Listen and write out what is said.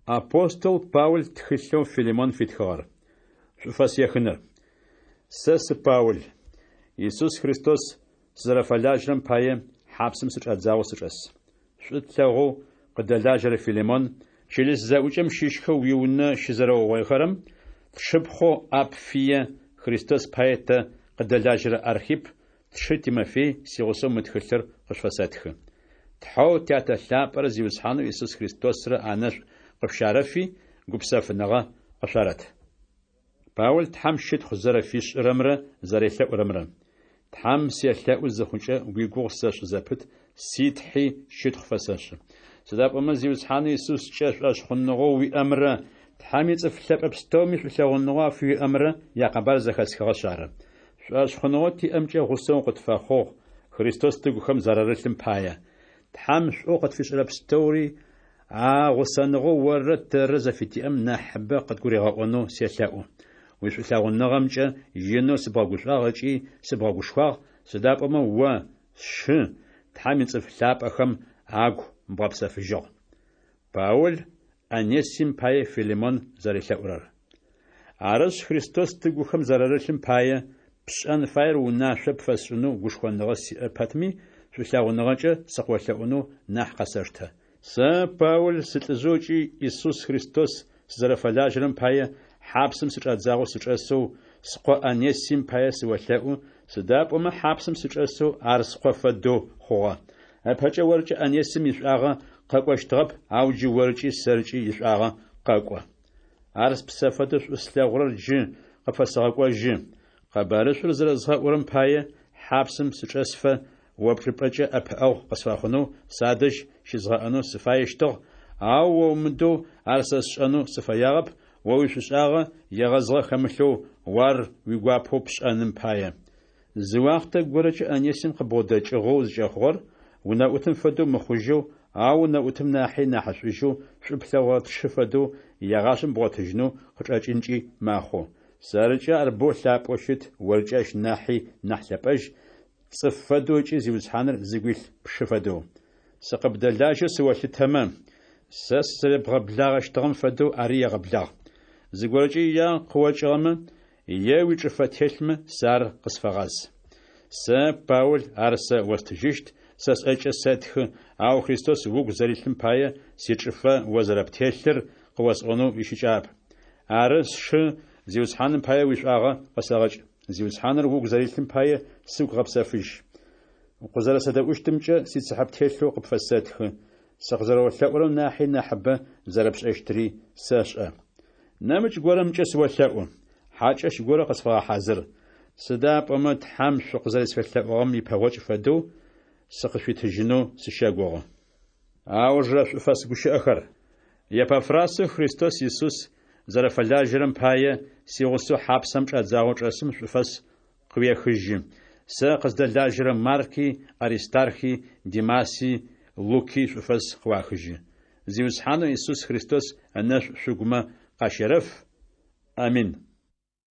Апостол Паул тхылъэу Филимон фитхыгъэр. Шӏуфэс ехыныр. Сэ сы Паул. Исус Христос сызэрэфэлажьэрэм пае хьапсым сычӏадзагъэу сычӏэс. Шӏу тлъэгъоу къыддэлажьэрэ Филимон, чылыс зэӏукӏэм щыщхэу уиунэ щызэрэугъоихэрэм, тшыпхъоу Апфие, Христос пае тэ къыддэлажьэрэ Архипп, тшы Тимофей сигъусэу мы тхылъыр къышъуфэсэтхы. Тхьэу Тятэ лъапӏэрэ Зиусхьанэу Исус Христосрэ анэшӏу къышъущарэфи, гупсэфыныгъэ къышъуарэт. Паул Тхьэм щытхъу зэрэфишӏырэмрэ зэрелъэӏурэмрэ. Тхьэм селъэӏу зыхъукӏэ, уигугъу сэшӏы зэпыт, си Тхьи щытхъу фэсэшӏы. Сыда пӏомэ Зиусхьанэу Исускӏэ шӏошъхъуныгъэу уиӏэмрэ Тхьэм ицӏыф лъэпӏэ пстэуми шӏулъэгъуныгъэу афыуиӏэмрэ якъэбар зэхэсхыгъэшъ ары. Шӏошъхъуныгъэу тиӏэмкӏэ гъусэ укъытфэхъугъ, Христос тыгухэм зэрарылъым пае. Тхьэм шӏоу къытфишӏэрэ пстэури а гъусэныгъэу оррэ тэррэ зэфытиӏэм нахьыбэ къыдгуригъэӏонэу селъэӏу. Уишӏулъэгъуныгъэмкӏэ инэу сыбгъэгушӏуагъ ыкӏи сыбгъэгушхуагъ, сыда пӏомэ о, сшы, Тхьэм ицӏыф лъапӏэхэм агу бгъэпсэфыжьыгъ. Паул Онесим пае Филимон зэрелъэӏурэр. Арышъ, Христос тыгухэм зэрарылъым пае, пшӏэн фаер унашъо пфэсшӏынэу гушхоныгъэ сиӏэ пэтми, шӏулъэгъуныгъэкӏэ сыкъыолъэӏунэу нахь къэсэштэ. Сэ, Паул, сылӏыжъэу ыкӏи Исус Христос сызэрэфэлажьэрэм пае хьапсым сычӏадзагъэу сычӏэсэу, скъо Онесим пае сыолъэӏу, сыда пӏомэ хьапсым сычӏэсэу ар скъо фэдэу хъугъэ. Ыпэкӏэ оркӏэ Онесим ишӏуагъэ къэкӏощтыгъэп, ау джы оркӏи сэркӏи ишӏуагъэ къэкӏо. Ар спсэ фэдэу шӏу слъэгъурэр джы къыпфэсэгъэкӏожьы. Къэбарышӏур зэрэзгъэӏурэм пае хьапсым сычӏэсыфэ о пчӏыпӏэкӏэ ӏэпыӏэгъу къысфэхъунэу садэжь щызгъэӏэнэу сыфаещтыгъ, ау о умыдэу ар сэ сшӏэнэу сыфэягъэп, о уишӏушӏагъэ егъэзыгъэ хэмылъэу, о ар уигуапэу пшӏэным пае. Зы уахътэ горэкӏэ Онесим къыбгъодэкӏыгъэу зыкӏэхъугъэр, унэӏутым фэдэу мыхъужьэу, ау унэӏутым нахьи нахьышӏужьэу шӏу плъэгъурэ тшы фэдэу егъашӏэм бгъотыжьынэу къычӏэкӏынкӏи мэхъу. Сэркӏэ ар боу лъапӏэу щыт, оркӏэ ащ нахьи нахь лъэпӏэжь, цӏыф фэдэу ыкӏи Зиусхьаныр зыгу илъ пшы фэдэу. Сыкъыбдэлажьэу сыолъытэмэ, сэ сызэребгъэблагъэщтыгъэм фэдэу ари егъэблагъ. Зыгорэкӏэ иягъэ къыокӏыгъэмэ, е уичӏыфэ телъмэ, сэ ар къысфэгъаз. Сэ, Паул, ар сэ остыжьыщт, сэ сӏэкӏэ сэтхы, ау Христос угу зэрилъым пае сичӏыфэ о зэрэптелъыр къыосӏонэу ищыкӏагъэп. Ары, сшы, Зиусхьаным пае уишӏуагъэ къысэгъэкӏ. Зиусхьаныр угу зэрилъым пае сыгу гъэпсэфыжь. Укъызэрэсэдэӏущтымкӏэ сицыхьэ птелъэу къыпфэсэтхы, сыкъызэрэолъэӏурэм нахьи нахьыбэ зэрэпшӏэщтыри сэшӏэ. Нэмыкӏ горэмкӏэ сыолъэӏу, хьакӏэщ горэ къысфэгъэхьазыр, сыда пӏомэ Тхьэм шъукъызэрэсфелъэӏугъэм ипэгъокӏ фэдэу сыкъышъуитыжьынэу сыщэгугъы. Аужырэ шӏуфэс гущыӏэхэр. Епафрасэу Христос Исус зэрэфэлажьэрэм пае сигъусэу хьапсэм чӏадзагъэу чӏэсым шӏуфэс къыуехыжьы. Сэ къыздэлажьэрэ Марки, Аристархи, Димаси, Луки шӏуфэс къыуахыжьы. Зиусхьанэу Исус Христос ынэшӏу шъугумэ къащерэф. Амин.